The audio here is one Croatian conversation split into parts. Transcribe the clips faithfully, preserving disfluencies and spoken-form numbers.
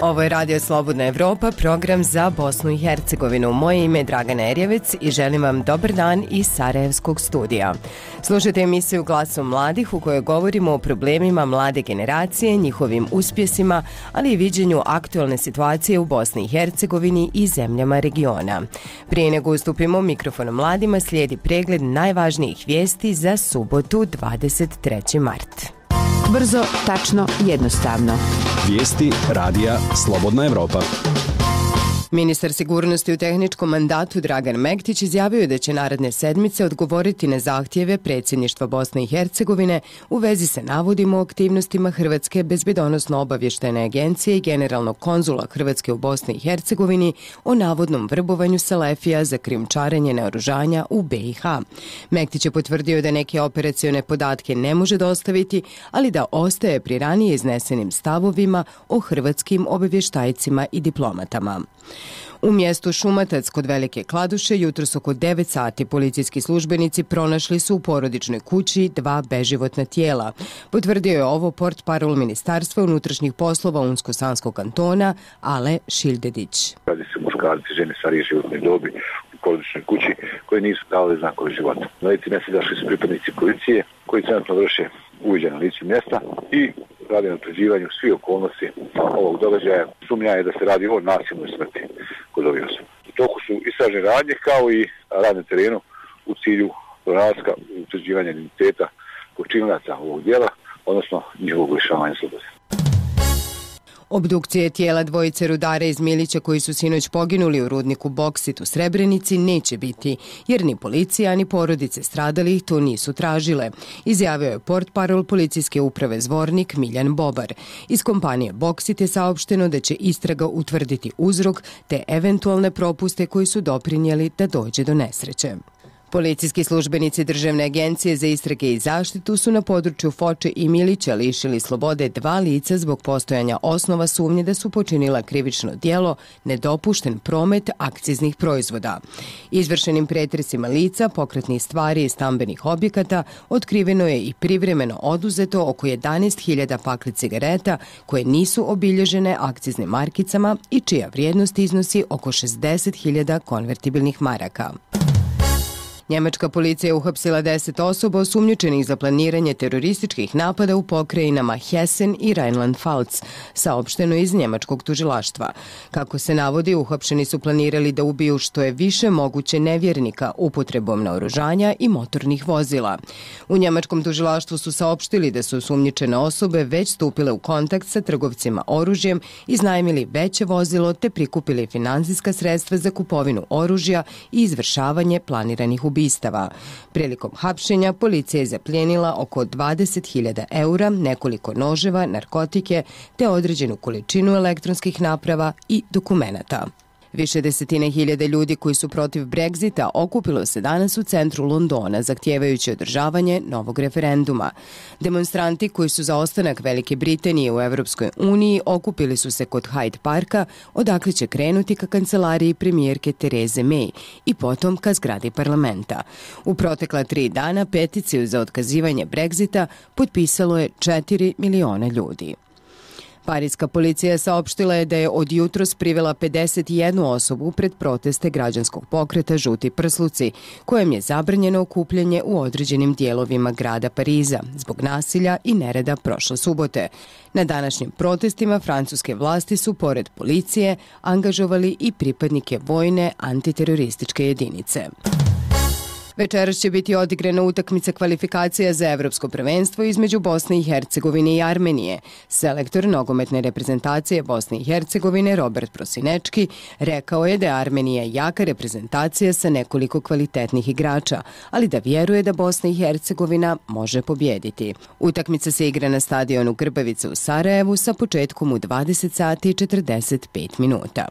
Ovo je Radio Slobodna Evropa, program za Bosnu i Hercegovinu. Moje ime je Dragana Erjevec i želim vam dobar dan iz Sarajevskog studija. Slušajte emisiju Glasom mladih u kojoj govorimo o problemima mlade generacije, njihovim uspjesima, ali i viđenju aktualne situacije u Bosni i Hercegovini i zemljama regiona. Prije nego ustupimo mikrofon mladima, slijedi pregled najvažnijih vijesti za subotu dvadeset treći mart. Brzo, tačno, jednostavno. Vijesti radija Slobodna Evropa. Ministar sigurnosti u tehničkom mandatu Dragan Mektić izjavio je da će naredne sedmice odgovoriti na zahtjeve predsjedništva Bosne i Hercegovine u vezi sa navodima o aktivnostima Hrvatske bezbjednosno-obavještajne agencije i generalnog konzula Hrvatske u Bosni i Hercegovini o navodnom vrbovanju Selefija za krijumčarenje naoružanja u B i H. Mektić je potvrdio da neke operacione podatke ne može dostaviti, ali da ostaje pri ranije iznesenim stavovima o hrvatskim obavještajcima i diplomatama. U mjestu Šumatac kod Velike Kladuše jutros oko devet sati policijski službenici pronašli su u porodičnoj kući dva beživotna tijela. Potvrdio je ovo portparol Ministarstva unutrašnjih poslova Unsko-Sanskog kantona Ale Šildedić. Radi se muškarci, žene starije životne dobi u porodičnoj kući koje nisu dali znakove života. Na lice mjesta došli su pripadnici policije koji trenutno vrše uviđaj na licu mjesta i radi na utvrđivanju svih okolnosti ovog događaja. Sumnja je da se radi o nasilnoj smrti kod ovih osoba. U toku su istražne radnje kao i rad na terenu u cilju pronalaska i utvrđivanja identiteta počinilaca ovog djela, odnosno njihovog lišavanja slobode. Obdukcije tijela dvojice rudara iz Milića koji su sinoć poginuli u rudniku Boksit u Srebrenici neće biti, jer ni policija ni porodice stradalih to nisu tražile, izjavio je portparol policijske uprave Zvornik Miljan Bobar. Iz kompanije Boksit je saopšteno da će istraga utvrditi uzrok te eventualne propuste koji su doprinijeli da dođe do nesreće. Policijski službenici Državne agencije za istrage i zaštitu su na području Foče i Milića lišili slobode dva lica zbog postojanja osnova sumnje da su počinila krivično djelo nedopušten promet akciznih proizvoda. Izvršenim pretresima lica, pokretnih stvari i stambenih objekata otkriveno je i privremeno oduzeto oko jedanaest hiljada pakli cigareta koje nisu obilježene akciznim markicama i čija vrijednost iznosi oko šezdeset hiljada konvertibilnih maraka. Njemačka policija je uhapsila deset osoba osumnjičenih za planiranje terorističkih napada u pokrajinama Hessen i Rheinland-Pfalz, saopšteno iz njemačkog tužilaštva. Kako se navodi, uhapšeni su planirali da ubiju što je više moguće nevjernika upotrebom naoružanja i motornih vozila. U njemačkom tužilaštvu su saopštili da su osumnjičene osobe već stupile u kontakt sa trgovcima oružjem, iznajmili veće vozilo te prikupili finansijska sredstva za kupovinu oružja i izvršavanje planiranih ubijstava. Ubistava. Prilikom hapšenja policija je zaplijenila oko dvadeset hiljada eura, nekoliko noževa, narkotike te određenu količinu elektronskih naprava i dokumenata. Više desetine hiljada ljudi koji su protiv Brexita okupilo se danas u centru Londona, zahtijevajući održavanje novog referenduma. Demonstranti koji su za ostanak Velike Britanije u Evropskoj uniji okupili su se kod Hyde Parka, odakle će krenuti ka kancelariji premijerke Tereze May i potom ka zgradi parlamenta. U protekla tri dana peticiju za otkazivanje Brexita potpisalo je četiri miliona ljudi. Parijska policija saopštila je da je od jutros privela pedeset jednu osobu pred proteste građanskog pokreta Žuti prsluci, kojem je zabranjeno okupljanje u određenim dijelovima grada Pariza zbog nasilja i nereda prošle subote. Na današnjim protestima francuske vlasti su, pored policije, angažovali i pripadnike vojne antiterorističke jedinice. Večeras će biti odigrana utakmica kvalifikacija za evropsko prvenstvo između Bosne i Hercegovine i Armenije. Selektor nogometne reprezentacije Bosne i Hercegovine Robert Prosinečki rekao je da je Armenija jaka reprezentacija sa nekoliko kvalitetnih igrača, ali da vjeruje da Bosna i Hercegovina može pobjediti. Utakmica se igra na stadionu Grbavica u Sarajevu sa početkom u dvadeset sati i četrdeset pet minuta.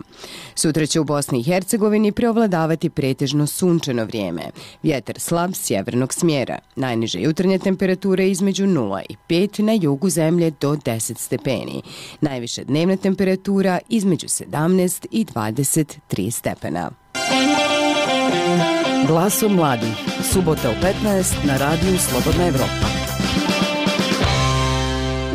Sutra će u Bosni i Hercegovini preovladavati pretežno sunčano vrijeme. Vjetar slab sjevernog smjera. Najniže jutarnje temperature između nula i pet, na jugu zemlje do deset stepeni. Najviša dnevna temperatura između sedamnaest i dvadeset tri stepena. Glasom mladih. Subota u petnaest na radiju Slobodna Evropa.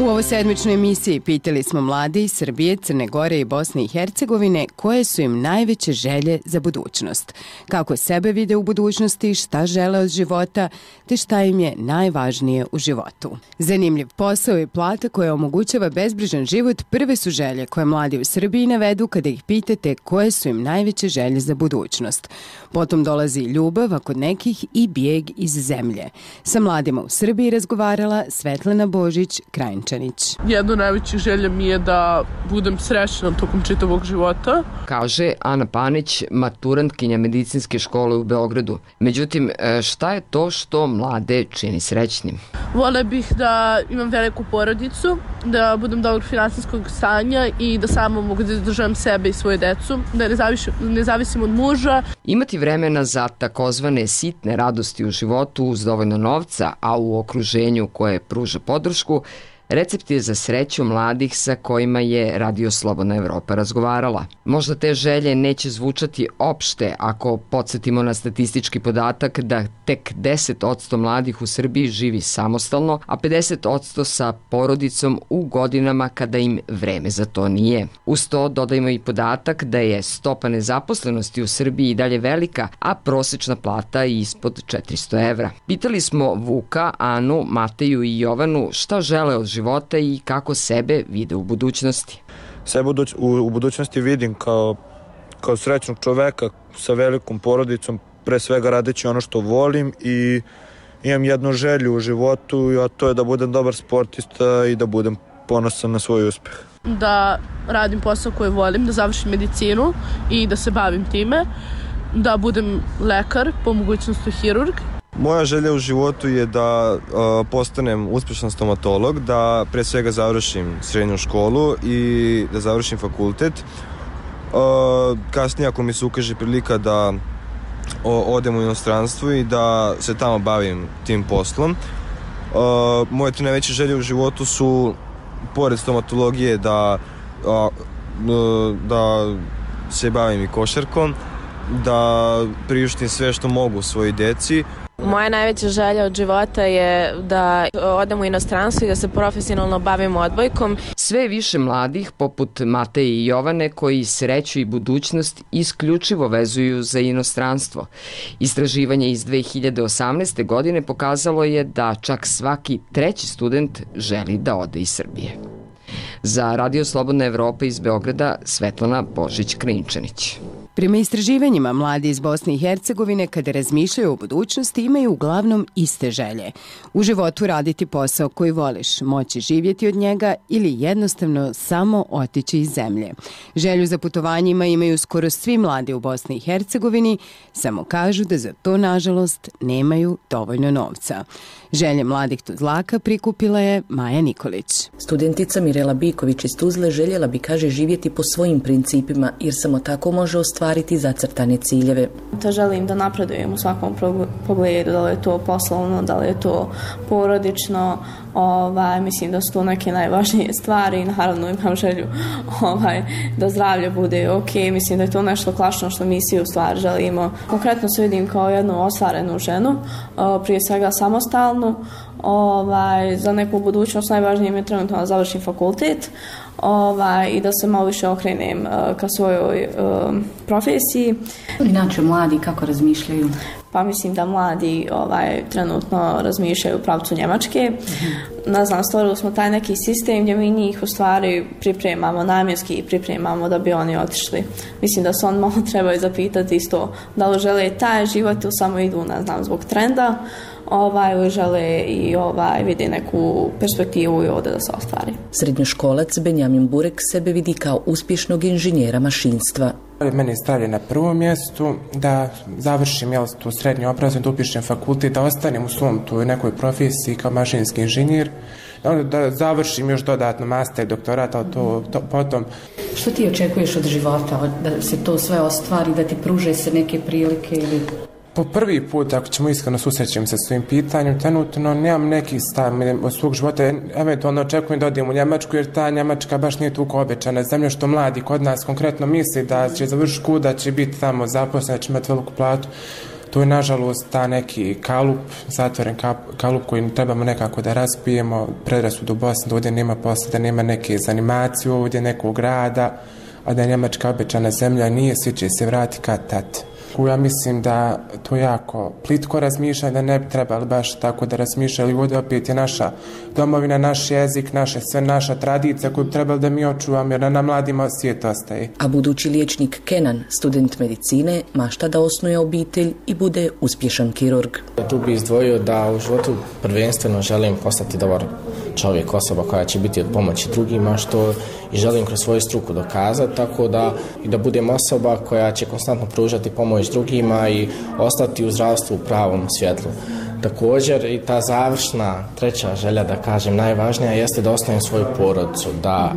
U ovoj sedmičnoj emisiji pitali smo mlade iz Srbije, Crne Gore i Bosne i Hercegovine koje su im najveće želje za budućnost. Kako sebe vide u budućnosti, šta žele od života, te šta im je najvažnije u životu. Zanimljiv posao i plata koja omogućava bezbrižan život prve su želje koje mladi u Srbiji navedu kada ih pitate koje su im najveće želje za budućnost. Potom dolazi ljubav, a kod nekih i bijeg iz zemlje. Sa mladima u Srbiji razgovarala Svetlana Božić-Krajnčanić. Jedno najveće želje mi je da budem srećna tokom čitavog života. Kaže Ana Panić, maturantkinja medicinske škole u Beogradu. Međutim, šta je to što mlade čini srećnim? Vole bih da imam veliku porodicu, da budem dobrog finansijskog stanja i da samo mogu da izdržavam sebe i svoju decu, da ne zavisim, ne zavisim od muža. Imati vremena za takozvane sitne radosti u životu uz dovoljno novca, a u okruženju koje pruža podršku, recept je za sreću mladih sa kojima je Radio Slobodna Evropa razgovarala. Možda te želje neće zvučati opšte ako podsjetimo na statistički podatak da tek deset posto mladih u Srbiji živi samostalno, a pedeset posto sa porodicom u godinama kada im vreme za to nije. Uz to dodajmo i podatak da je stopa nezaposlenosti u Srbiji i dalje velika, a prosečna plata ispod četiristo evra. Pitali smo Vuka, Anu, Mateju i Jovanu šta žele od života života i kako sebe vide u budućnosti. Sebe u, u budućnosti vidim kao, kao srećnog čoveka sa velikom porodicom, pre svega radeći ono što volim i imam jednu želju u životu, a to je da budem dobar sportista i da budem ponosan na svoj uspeh. Da radim posao koji volim, da završim medicinu i da se bavim time, da budem lekar, po mogućnosti hirurg. Moja želja u životu je da uh, postanem uspešan stomatolog, da pre svega završim srednju školu i da završim fakultet. Uh, kasnije ako mi se ukaže prilika da o, odem u inostranstvo i da se tamo bavim tim poslom. Uh, moje tri najveće želje u životu su, pored stomatologije, da, uh, da se bavim i košarkom, da priuštim sve što mogu svojoj deci. Moja najveća želja od života je da odem u inostranstvo i da se profesionalno bavim odbojkom. Sve više mladih, poput Mateje i Jovane, koji sreću i budućnost isključivo vezuju za inostranstvo. Istraživanje iz dve hiljade osamnaeste. godine pokazalo je da čak svaki treći student želi da ode iz Srbije. Za Radio Slobodna Evropa iz Beograda, Svetlana Božić-Krajnčanić. Prema istraživanjima, mladi iz Bosne i Hercegovine kada razmišljaju o budućnosti imaju uglavnom iste želje. U životu raditi posao koji voliš, moći živjeti od njega ili jednostavno samo otići iz zemlje. Želju za putovanjima imaju skoro svi mladi u Bosni i Hercegovini, samo kažu da za to, nažalost, nemaju dovoljno novca. Želje mladih Tuzlaka prikupila je Maja Nikolić. Studentica Mirela Biković iz Tuzle željela bi, kaže, živjeti po svojim principima, jer samo tako može ostvariti zacrtane ciljeve. To želim da napredujem u svakom pogledu, da li je to poslovno, da li je to porodično. Ovaj, mislim da su to neke najvažnije stvari i naravno imam želju ovaj, da zdravlje bude ok. Mislim da je to nešto klasično što mi svi u stvari želimo. Konkretno se vidim kao jednu ostvarenu ženu, prije svega samostalnu. Ovaj, za neku budućnost najvažnije mi je trenutno da završim fakultet ovaj, i da se malo više okrenem uh, ka svojoj uh, profesiji. Inače, mladi kako razmišljaju? Pa mislim da mladi ovaj, trenutno razmišljaju u pravcu Njemačke. Mm-hmm. Ne znam, stvorili smo taj neki sistem gdje mi njih u stvari pripremamo, namjenski i pripremamo da bi oni otišli. Mislim da se on malo trebaju zapitati isto da li žele taj život ili samo idu, ne znam, zbog trenda. Ovaj, ili žele i ovaj, vidi neku perspektivu i ovdje da se ostvari. Srednjoškolac Benjamin Burek sebe vidi kao uspješnog inženjera mašinstva. Mene je stavlja na prvom mjestu da završim jel, tu srednju obrazovanje, da upišem fakultet, da ostanem u svom tu nekoj profesiji kao mašinski inženjer, da, da završim još dodatno master, doktorat, ali to, to potom. Što ti očekuješ od života, da se to sve ostvari, da ti pruže se neke prilike ili... Po prvi put, ako ćemo iskreno susrećem se s svojim pitanjem, trenutno nemam neki stav od svog života, eventualno očekujem da odem u Njemačku, jer ta Njemačka baš nije toliko obećana zemlja što mladi kod nas konkretno misli da će završiti školu, da će biti tamo zaposlen, da će imati veliku platu. To je nažalost ta neki kalup, zatvoren kalup koji trebamo nekako da raspijemo, predrasudu u Bosni, da ovdje nema posla, da nema neke zanimacije ovdje, nekog rada, a da je Njemačka obećana zemlja nije, svi će se vrati kad tad. Ja mislim da to jako plitko razmišlja, da ne bi trebali baš tako da razmišljali. Ovdje opet je naša domovina, naš jezik, naše sve, naša tradicija koju bi trebali da mi očuvamo, jer na mladima svijet ostaje. A budući liječnik Kenan, student medicine, mašta da osnuje obitelj i bude uspješan kirurg. Tu bi izdvojio da u životu prvenstveno želim postati dobar čovjek, osoba koja će biti od pomoći drugima, što i želim kroz svoju struku dokazati, tako da i da budem osoba koja će konstantno pružati pomoć drugima i ostati u zdravstvu u pravom svjetlu. Također i ta završna treća želja, da kažem, najvažnija jeste da ostavim svoju porodicu, da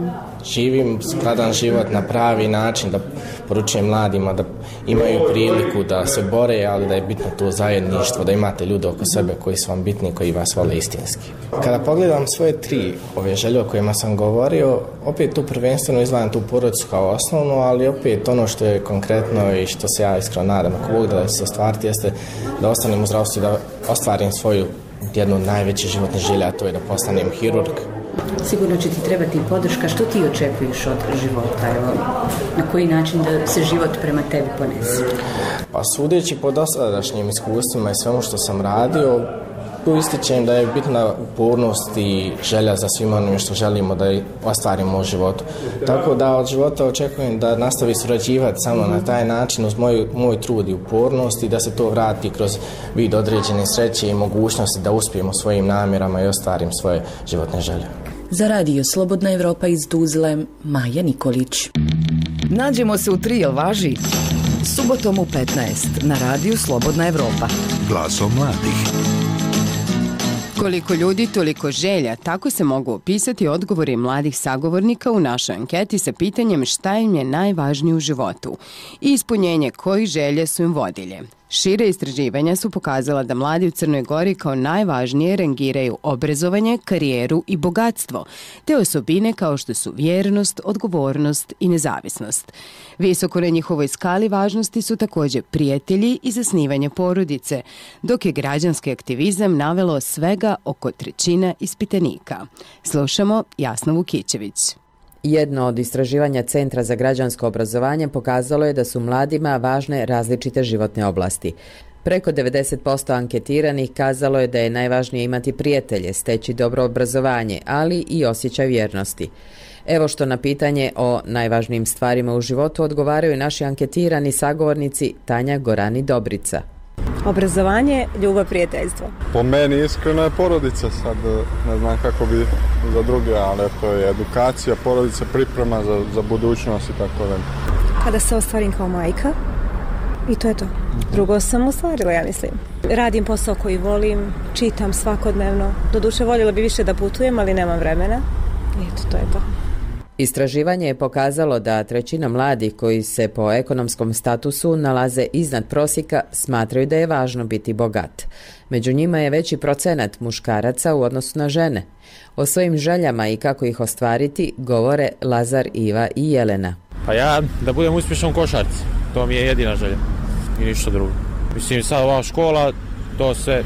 živim skladan život na pravi način, da poručujem mladima da imaju priliku da se bore, ali da je bitno to zajedništvo, da imate ljude oko sebe koji su vam bitni, koji vas vole istinski. Kada pogledam svoje tri ove želje o kojima sam govorio, opet tu prvenstveno izdvajam tu porodicu kao osnovnu, ali opet ono što je konkretno i što se ja iskreno nadam, ako Bog da se ostvariti, jeste da ostanem u zdravstvu i da ostvarim svoju jednu najveću životnu želju, a to je da postanem hirurg. Sigurno će ti trebati podrška. Što ti očekuješ od života? Evo, na koji način da se život prema tebi ponese? Pa sudeći po dosadašnjim iskustvima i svemu što sam radio, tu ističem da je bitna upornost i želja za svima onim što želimo da ostvarimo u životu. Tako da od života očekujem da nastavi surađivati samo na taj način uz moj, moj trud i upornost i da se to vrati kroz vid određene sreće i mogućnosti da uspijemo svojim namjerama i ostvarim svoje životne želje. Za radio Slobodna Evropa iz Tuzle, Maja Nikolić. Nađemo se u tri, jel važi? Subotom u petnaest na radiju Slobodna Evropa. Glasom mladih. Koliko ljudi, toliko želja. Tako se mogu opisati odgovori mladih sagovornika u našoj anketi sa pitanjem šta im je najvažnije u životu i ispunjenje kojih želje su im vodilje. Šire istraživanja su pokazala da mladi u Crnoj Gori kao najvažnije rangiraju obrazovanje, karijeru i bogatstvo, te osobine kao što su vjernost, odgovornost i nezavisnost. Visoko na njihovoj skali važnosti su također prijatelji i zasnivanje porodice, dok je građanski aktivizam navelo svega oko trećina ispitanika. Slušamo Jasnu Vukićević. Jedno od istraživanja Centra za građansko obrazovanje pokazalo je da su mladima važne različite životne oblasti. Preko devedeset posto anketiranih kazalo je da je najvažnije imati prijatelje, steći dobro obrazovanje, ali i osjećaj vjernosti. Evo što na pitanje o najvažnijim stvarima u životu odgovaraju naši anketirani sagovornici Tanja Gorani Dobrica. Obrazovanje, ljubav, prijateljstvo. Po meni iskreno je porodica, sad ne znam kako bi za druge, ali to je edukacija, porodica, priprema za, za budućnost i tako da. Kada se ostvarim kao majka i to je to. Drugo sam ostvarila, ja mislim. Radim posao koji volim, čitam svakodnevno. Doduše voljela bi više da putujem, ali nemam vremena. I eto, to je to. Istraživanje je pokazalo da trećina mladih koji se po ekonomskom statusu nalaze iznad prosjeka smatraju da je važno biti bogat. Među njima je veći procenat muškaraca u odnosu na žene. O svojim željama i kako ih ostvariti govore Lazar, Iva i Jelena. Pa ja da budem uspješan u košarci, to mi je jedina želja i ništa drugo. Mislim, sad ova škola, to sve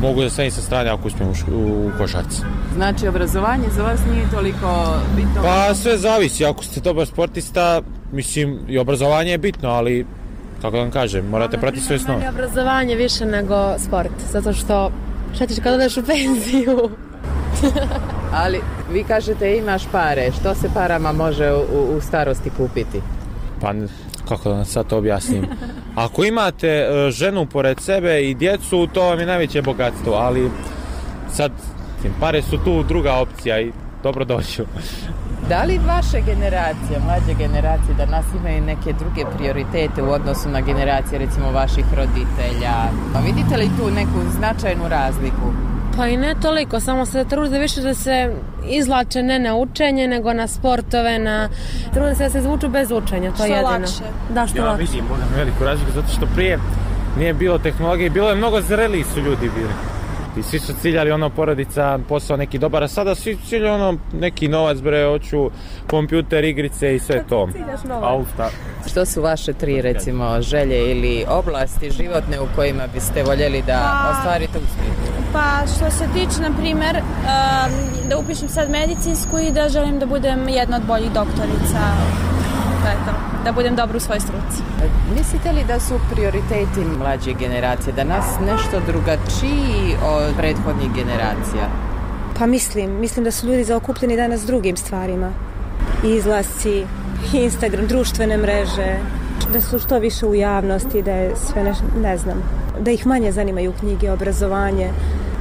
mogu da stavim sa strane ako uspijem u košarci. Znači, obrazovanje za vas nije toliko bitno? Pa sve zavisi, ako ste dobar sportista, mislim, i obrazovanje je bitno, ali, kako da vam kažem, morate pratiti sve snove. Meni obrazovanje više nego sport, zato što šta ćeš kad odeš u penziju? Ali vi kažete imaš pare, što se parama može u, u starosti kupiti? Pa, kako da vam sad to objasnim? Ako imate ženu pored sebe i djecu, to vam je najveće bogatstvo, ali sad pare su tu druga opcija i dobro dođu. Da li vaše generacije, mlađe generacije, da nas imaju neke druge prioritete u odnosu na generacije, recimo vaših roditelja? Pa vidite li tu neku značajnu razliku? Pa i ne toliko, samo se trude više da se izlače ne na učenje, nego na sportove, na... trude se da se izvuču bez učenja, to je jedino. Lakše. Da, što ja lakše. vidim, moram veliku razliku, zato što prije nije bilo tehnologije, bilo je mnogo zreliji su ljudi bili. I svi su ciljali ono porodica, posao neki dobar, a sada svi ciljaju ono neki novac, bre, hoću kompjuter, igrice i sve to. Auta. Što su vaše tri, recimo, želje ili oblasti životne u kojima biste voljeli da pa, ostvarite uspjeh? Pa što se tiče, na primjer, da upišem sad medicinsku i da želim da budem jedna od boljih doktorica. To je to. Da budem dobra u svojoj struci. Mislite li da su prioriteti mlađe generacije, da nas nešto drugačiji od prethodnih generacija? Pa mislim, mislim da su ljudi zaokupljeni danas drugim stvarima. Izlasci, Instagram, društvene mreže, da su što više u javnosti, da je sve ne, ne znam, da ih manje zanimaju knjige, obrazovanje.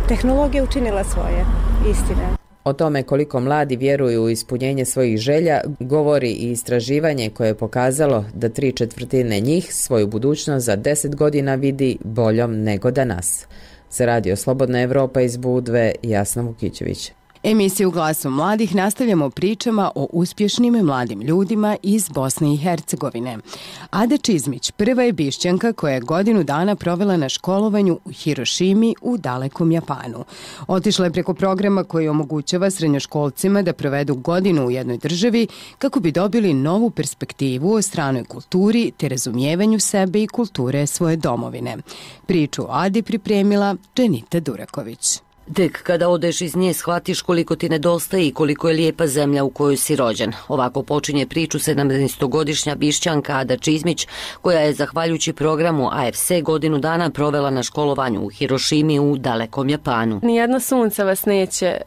Tehnologija učinila svoje, istine. O tome koliko mladi vjeruju u ispunjenje svojih želja govori i istraživanje koje je pokazalo da tri četvrtine njih svoju budućnost za deset godina vidi boljom nego danas. Za Radio Slobodna Evropa iz Budve, Jasna Vukićević. Emisiju Glasom mladih nastavljamo pričama o uspješnim mladim ljudima iz Bosne i Hercegovine. Ada Čizmić prva je Bišćanka koja je godinu dana provela na školovanju u Hirošimi u dalekom Japanu. Otišla je preko programa koji omogućava srednjoškolcima da provedu godinu u jednoj državi kako bi dobili novu perspektivu o stranoj kulturi te razumijevanju sebe i kulture svoje domovine. Priču o Adi pripremila Dženita Duraković. Tek kada odeš iz nje shvatiš koliko ti nedostaje i koliko je lijepa zemlja u kojoj si rođen. Ovako počinje priču sedamnaestogodišnja Bišćanka Ada Čizmić, koja je zahvaljujući programu A F C godinu dana provela na školovanju u Hirošimi u dalekom Japanu. Nijedno sunce vas neće e,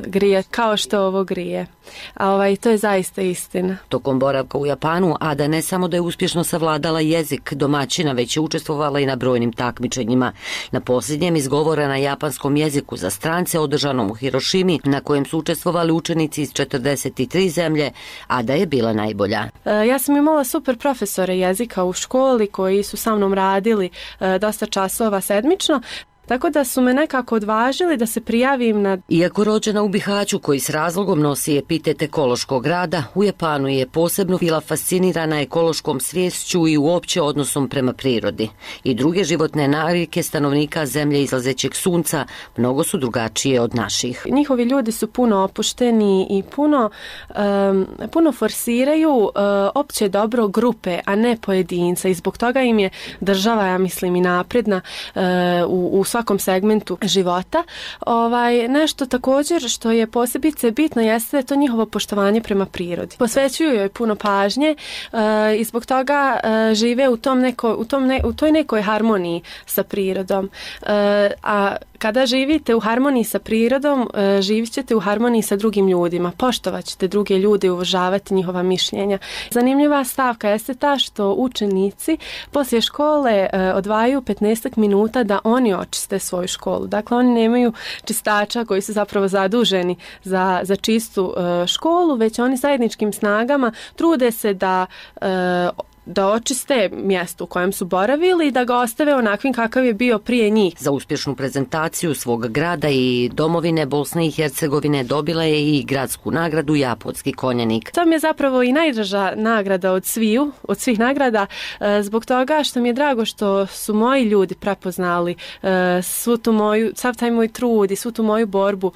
grijati kao što ovo grije. A ovaj, to je zaista istina. Tokom boravka u Japanu Ada ne samo da je uspješno savladala jezik domaćina, već je učestvovala i na brojnim takmičenjima. Na posljednjem izgovora na japanskom jeziku za strance održanom u Hirošimi, na kojem su učestvovali učenici iz četrdeset tri zemlje, Ada je bila najbolja. E, ja sam imala super profesore jezika u školi koji su sa mnom radili e, dosta časova sedmično. Tako da su me nekako odvažili da se prijavim na... Iako rođena u Bihaću, koji s razlogom nosi epitet ekološkog grada, u Japanu je posebno bila fascinirana ekološkom sviješću i uopće odnosom prema prirodi. I druge životne navike stanovnika zemlje izlazećeg sunca mnogo su drugačije od naših. Njihovi ljudi su puno opušteni i puno, um, puno forsiraju uh, opće dobro grupe, a ne pojedinca. I zbog toga im je država, ja mislim, i napredna uh, u, u svakom segmentu života. Ovaj, nešto također što je posebice bitno jeste to njihovo poštovanje prema prirodi. Posvećuju joj puno pažnje uh, i zbog toga uh, žive u, tom neko, u, tom ne, u toj nekoj harmoniji sa prirodom. Uh, a kada živite u harmoniji sa prirodom, uh, živit ćete u harmoniji sa drugim ljudima. Poštovat ćete druge ljude i uvažavati njihova mišljenja. Zanimljiva stavka jeste ta što učenici poslije škole uh, odvajaju petnaest minuta da oni očiste svoju školu. Dakle, oni nemaju čistača koji su zapravo zaduženi za, za čistu uh, školu, već oni zajedničkim snagama trude se da uh, da očiste mjesto u kojem su boravili i da ga ostave onakvim kakav je bio prije njih. Za uspješnu prezentaciju svog grada i domovine Bosne i Hercegovine dobila je i gradsku nagradu Japonski konjanik. To mi je zapravo i najdraža nagrada od sviju, od svih nagrada, zbog toga što mi je drago što su moji ljudi prepoznali svu tu moju, sav taj moj trud i svu tu moju borbu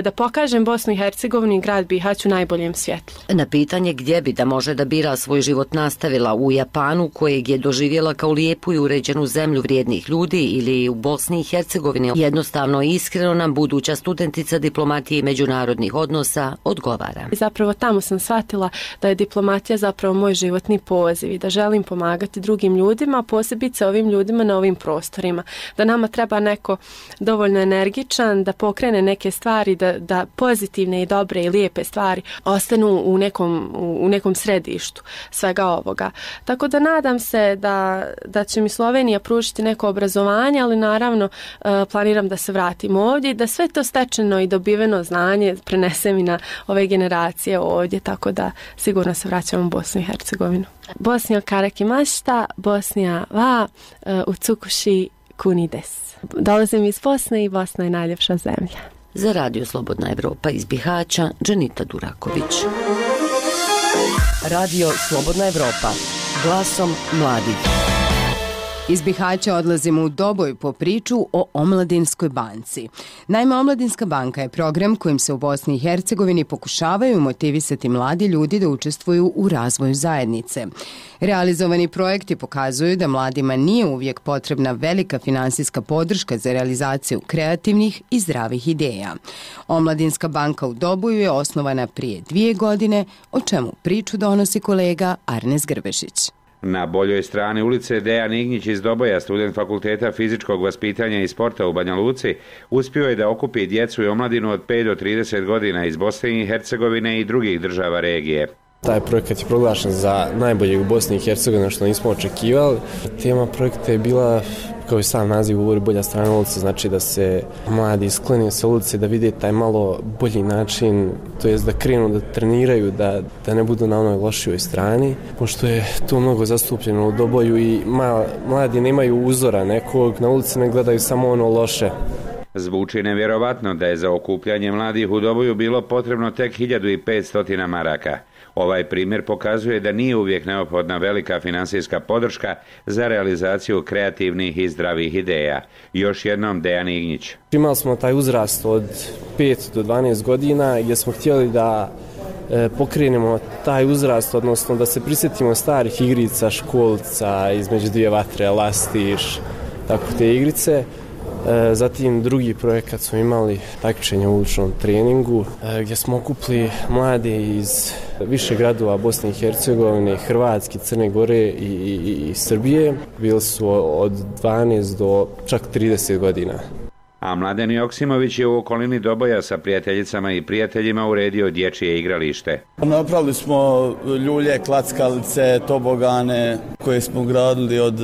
da pokažem Bosnu i Hercegovinu i grad Bihać u najboljem svjetlu. Na pitanje gdje bi da može da bira svoj život nastavila u Japanu, kojeg je doživjela kao lijepu i uređenu zemlju vrijednih ljudi, ili u Bosni i Hercegovini, jednostavno i iskreno nam buduća studentica diplomatije i međunarodnih odnosa odgovara. Zapravo tamo sam shvatila da je diplomatija zapravo moj životni poziv i da želim pomagati drugim ljudima, posebice ovim ljudima na ovim prostorima. Da nama treba neko dovoljno energičan, da pokrene neke stvari, da, da pozitivne i dobre i lijepe stvari ostanu u nekom, u nekom središtu svega ovoga. Tako da nadam se da, da će mi Slovenija pružiti neko obrazovanje, ali naravno uh, planiram da se vratim ovdje i da sve to stečeno i dobiveno znanje prenesem i na ove generacije ovdje, tako da sigurno se vraćam u Bosnu i Hercegovinu. Bosnija karaki mašta, Bosnija va uh, u Cukuši kunides. Dolazim iz Bosne i Bosna je najljepša zemlja. Za Radio Slobodna Evropa iz Bihaća, Dženita Duraković. Radio Slobodna Evropa, glasom mladih. Iz Bihaća odlazimo u Doboj po priču o Omladinskoj banci. Naime, Omladinska banka je program kojim se u Bosni i Hercegovini pokušavaju motivisati mladi ljudi da učestvuju u razvoju zajednice. Realizovani projekti pokazuju da mladima nije uvijek potrebna velika finansijska podrška za realizaciju kreativnih i zdravih ideja. Omladinska banka u Doboju je osnovana prije dvije godine, o čemu priču donosi kolega Arnes Grbešić. Na boljoj strani ulice Dejan Ignjić iz Doboja, student Fakulteta fizičkog vaspitanja i sporta u Banja Luci, uspio je da okupi djecu i omladinu od pet do trideset godina iz Bosne i Hercegovine i drugih država regije. Taj projekat je proglašen za najboljeg u Bosni i Hercegovini, što nismo očekivali. Tema projekta je bila, kao i sam naziv govori, bolja strana ulice, znači da se mladi sklone sa ulice, da vide taj malo bolji način, to jest da krenu da treniraju, da, da ne budu na onoj lošijoj strani, pošto je to mnogo zastupljeno u Doboju i ma, mladi nemaju uzora nekog, na ulici ne gledaju samo ono loše. Zvuči nevjerovatno da je za okupljanje mladih u Doboju bilo potrebno tek hiljadu petsto maraka. Ovaj primjer pokazuje da nije uvijek neophodna velika finansijska podrška za realizaciju kreativnih i zdravih ideja. Još jednom Dejan Ignjić. Imali smo taj uzrast od pet do dvanaest godina gdje smo htjeli da e, pokrenemo taj uzrast, odnosno da se prisjetimo starih igrica, školca, između dvije vatre, lastiš, tako te igrice. Zatim drugi projekat smo imali takmičenje u uličnom treningu gdje smo okupili mlade iz više gradova Bosne i Hercegovine, Hrvatske, Crne Gore i, i, i Srbije. Bili su od dvanaest do čak trideset godina. A Mladen Joksimović je u okolini Doboja sa prijateljicama i prijateljima uredio dječje igralište. Napravili smo ljulje, klackalice, tobogane koje smo gradili od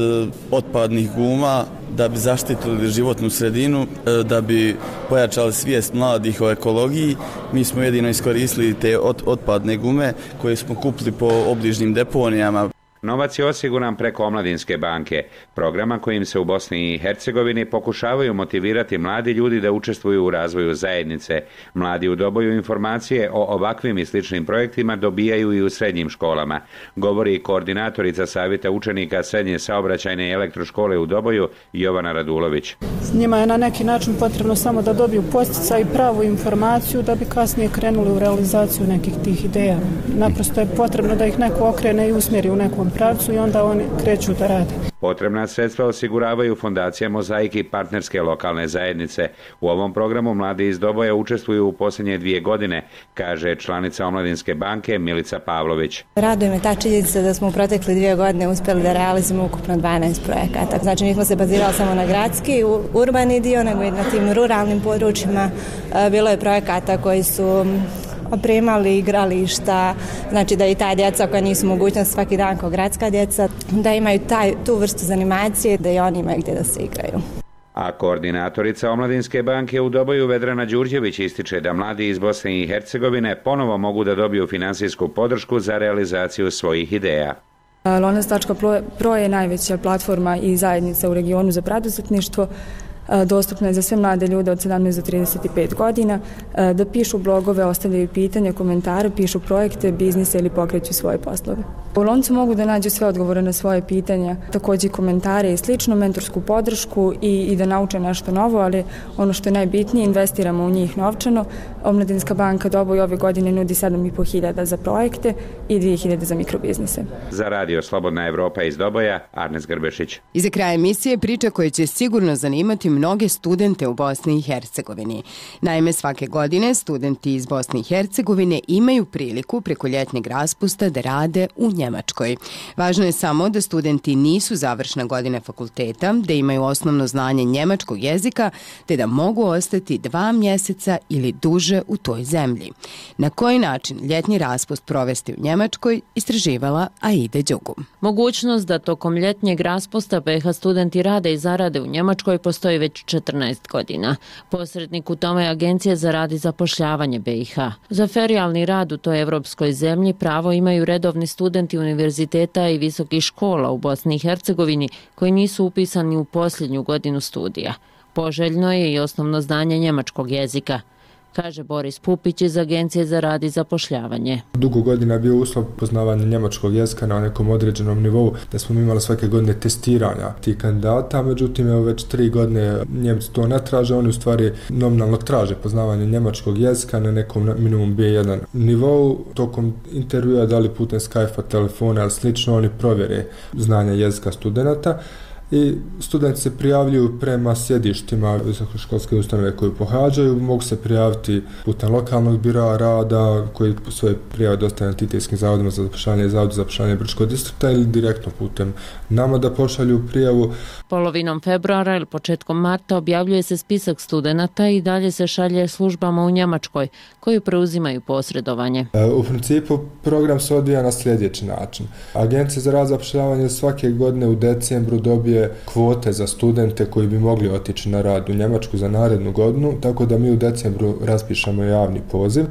otpadnih guma da bi zaštitili životnu sredinu, da bi pojačali svijest mladih o ekologiji. Mi smo jedino iskoristili te otpadne gume koje smo kupili po obližnjim deponijama. Novac je osiguran preko Omladinske banke, programa kojim se u Bosni i Hercegovini pokušavaju motivirati mladi ljudi da učestvuju u razvoju zajednice. Mladi u Doboju informacije o ovakvim i sličnim projektima dobijaju i u srednjim školama, govori koordinatorica Savjeta učenika Srednje saobraćajne i elektroškole u Doboju Jovana Radulović. Njima je na neki način potrebno samo da dobiju podsticaj i pravu informaciju da bi kasnije krenuli u realizaciju nekih tih ideja. Naprosto je potrebno da ih neko okrene i usmjeri u nekom pravcu i onda oni kreću da rade. Potrebna sredstva osiguravaju Fondacija Mozaik i partnerske lokalne zajednice. U ovom programu mladi iz Doboja učestvuju u posljednje dvije godine, kaže članica Omladinske banke Milica Pavlović. Raduje me ta činjenica da smo u protekle dvije godine uspjeli da realizujemo ukupno dvanaest projekata. Znači nismo se bazirali samo na gradski, urbani dio, nego i na tim ruralnim područjima. Bilo je projekata koji su opremali igrališta, znači da i ta djeca koja nisu mogućnost svaki dan kao gradska djeca, da imaju taj, tu vrstu zanimacije, da i oni imaju gdje da se igraju. A koordinatorica Omladinske banke u Doboju Vedrana Đurđević ističe da mladi iz Bosne i Hercegovine ponovo mogu da dobiju finansijsku podršku za realizaciju svojih ideja. Lonac točka pro je najveća platforma i zajednica u regionu za preduzetništvo. Dostupna je za sve mlade ljude od sedamnaest do trideset pet godina, da pišu blogove, ostavljaju pitanja, komentare, pišu projekte, biznise ili pokreću svoje poslove. U Loncu mogu da nađu sve odgovore na svoje pitanja, također komentare i slično, mentorsku podršku i, i da nauče nešto novo, ali ono što je najbitnije, investiramo u njih novčano. Omladinska banka Doboj ove godine nudi sedam i po hiljada za projekte i dvije hiljade za mikrobiznise. Za radio Slobodna Evropa iz Doboja, Arnes Grbešić. I za kraj emisije priča koja će sigurno zanimati mnoge studente u Bosni i Hercegovini. Naime, svake godine studenti iz Bosne i Hercegovine imaju priliku preko ljetnjeg raspusta da rade u Njemačkoj. Važno je samo da studenti nisu završna godina fakulteta, da imaju osnovno znanje njemačkog jezika, te da mogu ostati dva mjeseca ili duže u toj zemlji. Na koji način ljetnji raspust provesti u Njemačkoj, istraživala Aida Đugu. Mogućnost da tokom ljetnjeg raspusta B iH studenti rade i zarade u Njemačkoj postoji već četrnaest godina. Posrednik u tome je Agencija za rad i zapošljavanje B iH. Za ferijalni rad u toj evropskoj zemlji pravo imaju redovni studenti univerziteta i visokih škola u Bosni i Hercegovini koji nisu upisani u posljednju godinu studija. Poželjno je i osnovno znanje njemačkog jezika. kaže Boris Pupić iz Agencije za rad i zapošljavanje. Dugo godina je bio uslov poznavanja njemačkog jezika na nekom određenom nivou, da smo imali svake godine testiranja tih kandidata, međutim evo već tri godine Njemci to ne traže, oni u stvari nominalno traže poznavanje njemačkog jezika na nekom minimum B jedan nivou. Tokom intervjua, da li putem Skype-a, telefona ili slično, oni provjere znanje jezika studenata i studenti se prijavljuju prema sjedištima visokoškolske ustanove koju pohađaju, mogu se prijaviti putem lokalnog biroa rada koji svoje prijave dostavljaju antitetskim zavodima za zapošljavanje i zavodu za zapošljavanje Brčkog distrikta ili direktno putem nama da pošalju prijavu. Polovinom februara ili početkom marta objavljuje se spisak studenata i dalje se šalje službama u Njemačkoj koji preuzimaju posredovanje. U principu program se odvija na sljedeći način. Agencija za rad i zapošljavanje svake godine u decembru dobije kvote za studente koji bi mogli otići na rad u Njemačku za narednu godinu, tako da mi u decembru raspišemo javni poziv.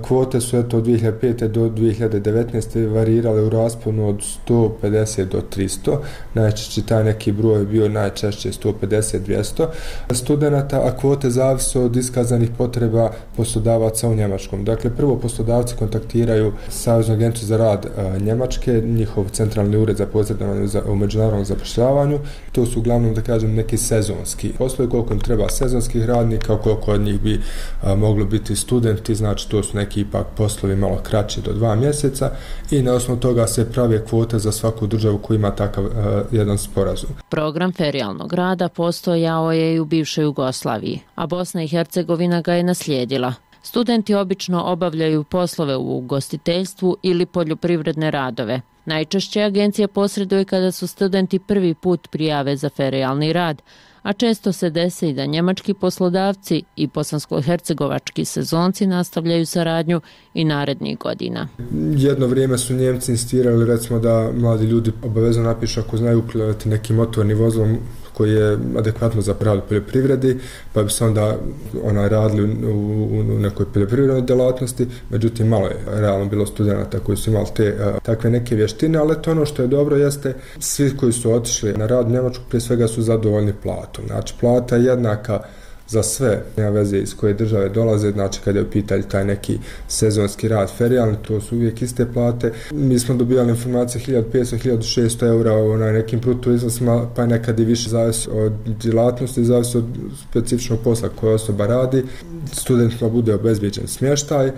Kvote su eto od dvije hiljade pete do dvije hiljade devetnaeste varirale u rasponu od sto pedeset do tristo. Najčešće taj neki broj je bio najčešće sto pedeset do dvjesto studenata, a kvote zavise od iskazanih potreba poslodavaca u Njemačkom. Dakle, prvo poslodavci kontaktiraju Saveznu agenciju za rad Njemačke, njihov centralni ured za posredovanje u međunarodnom zapošljavanju. To su uglavnom, da kažem, neki sezonski poslovi, koliko im treba sezonskih radnika, koliko od njih bi a, moglo biti studenti, znači to su neki ipak poslovi malo kraći do dva mjeseca i na osnovu toga se prave kvote za svaku državu koja ima takav a, jedan sporazum. Program ferijalnog rada postojao je i u bivšoj Jugoslaviji, a Bosna i Hercegovina ga je naslijedila. Studenti obično obavljaju poslove u ugostiteljstvu ili poljoprivredne radove. Najčešće agencija posreduje kada su studenti prvi put prijave za ferijalni rad, a često se desi i da njemački poslodavci i bosansko-hercegovački sezonci nastavljaju saradnju i narednih godina. Jedno vrijeme su Njemci insistirali recimo da mladi ljudi obavezno napišu ako znaju upravljati nekim motornim vozilom koji je adekvatno za pravo poljoprivredi, pa bi se onda ona radili u, u, u nekoj poljoprivrednoj djelatnosti, međutim malo je realno bilo studenata koji su imali te a, takve neke vještine, ali to ono što je dobro jeste svi koji su otišli na rad u Njemačku prije svega su zadovoljni platom. Znači plata je jednaka za sve, nema veze iz koje države dolaze, znači kada je u pitanju taj neki sezonski rad ferijalni, to su uvijek iste plate. Mi smo dobijali informacije hiljadu petsto do hiljadu šesto eura o nekim bruto iznosima, pa nekad i više zavisi od djelatnosti, zavisi od specifičnog posla koje osoba radi. Studentima bude obezbijeđen smještaj.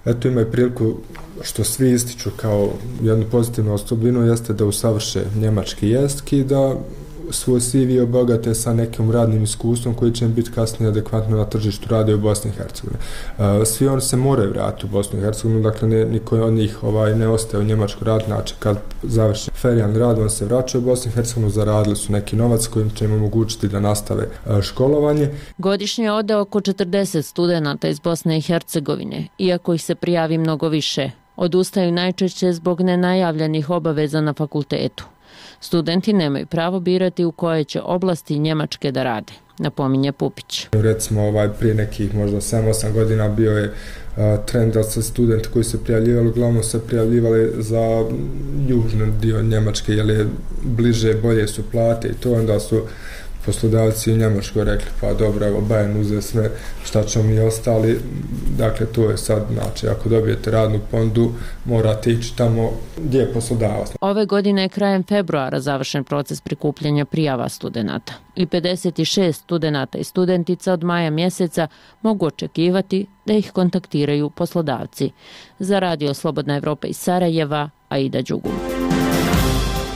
Eto imaju priliku što svi ističu kao jednu pozitivnu osobinu jeste da usavrše njemački jezik i da svoj C V obogate sa nekim radnim iskustvom koji će im biti kasnije adekvatno na tržištu rada u Bosni i Hercegovini. Svi oni se moraju vratiti u Bosnu i Hercegovinu, dakle ne, niko od njih ovaj, ne ostaje u Njemačku rad, znači kad završi ferijalni rad, on se vraća u Bosnu i Hercegovinu, zaradili su neki novac kojim će im omogućiti da nastave školovanje. Godišnje ode oko četrdeset studenata iz Bosne i Hercegovine, iako ih se prijavi mnogo više. Odustaju najčešće zbog nenajavljenih obaveza na fakultetu. Studenti nemaju pravo birati u koje će oblasti Njemačke da rade, napominje Pupić. Recimo ovaj, prije nekih možda sedam osam godina bio je a, trend da se studenti koji se prijavljivali, uglavnom se prijavljivali za južni dio Njemačke, jer je bliže, bolje su plate i to, onda su poslodavci u Njemačkoj rekli pa dobro, evo Bayern uze sve šta ćemo mi ostali, dakle to je sad, znači ako dobijete radnu ponudu morate ići tamo gdje je poslodavac. Ove godine je krajem februara završen proces prikupljanja prijava studenata i pedeset šest studenata i studentica od maja mjeseca mogu očekivati da ih kontaktiraju poslodavci. Za Radio Slobodna Evropa iz Sarajeva, Aida Đugum.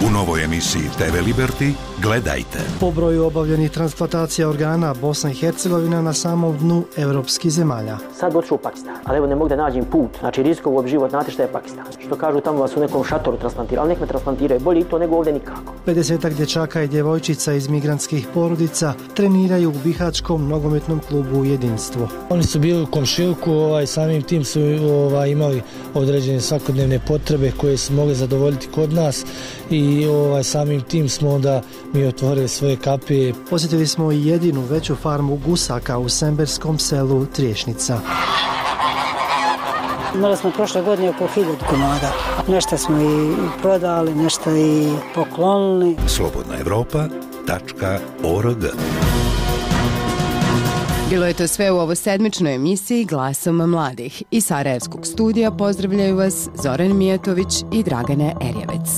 U novoj emisiji T V Liberty gledajte. Po broju obavljenih transplantacija organa Bosna i Hercegovina na samom dnu evropskih zemalja. Sad otišao u Pakistan, ali evo ne mogu da nađem put. Znači riskovo život, znate šta je Pakistan. Što kažu tamo vas u nekom šatoru transplantiraju, ali nek me transplantiraju, bolje i to nego ovdje nikako. pedesetak dječaka i djevojčica iz migrantskih porodica treniraju u bihačkom nogometnom klubu Jedinstvo. Oni su bili u komšiluku, ovaj, samim tim su ovaj, imali određene svakodnevne potrebe koje su mogli zadovoljiti kod nas i ovaj, samim tim smo onda mi otvorili svoje kapije. Posjetili smo i jedinu veću farmu gusaka u semberskom selu Triješnica. Imali smo prošle godine oko hiljadu komada. Nešto smo i prodali, nešto i poklonili. slobodna evropa tačka org Bilo je to sve u ovo sedmičnoj emisiji Glasom mladih. Iz Sarajevskog studija pozdravljaju vas Zoran Mijatović i Dragana Erjevec.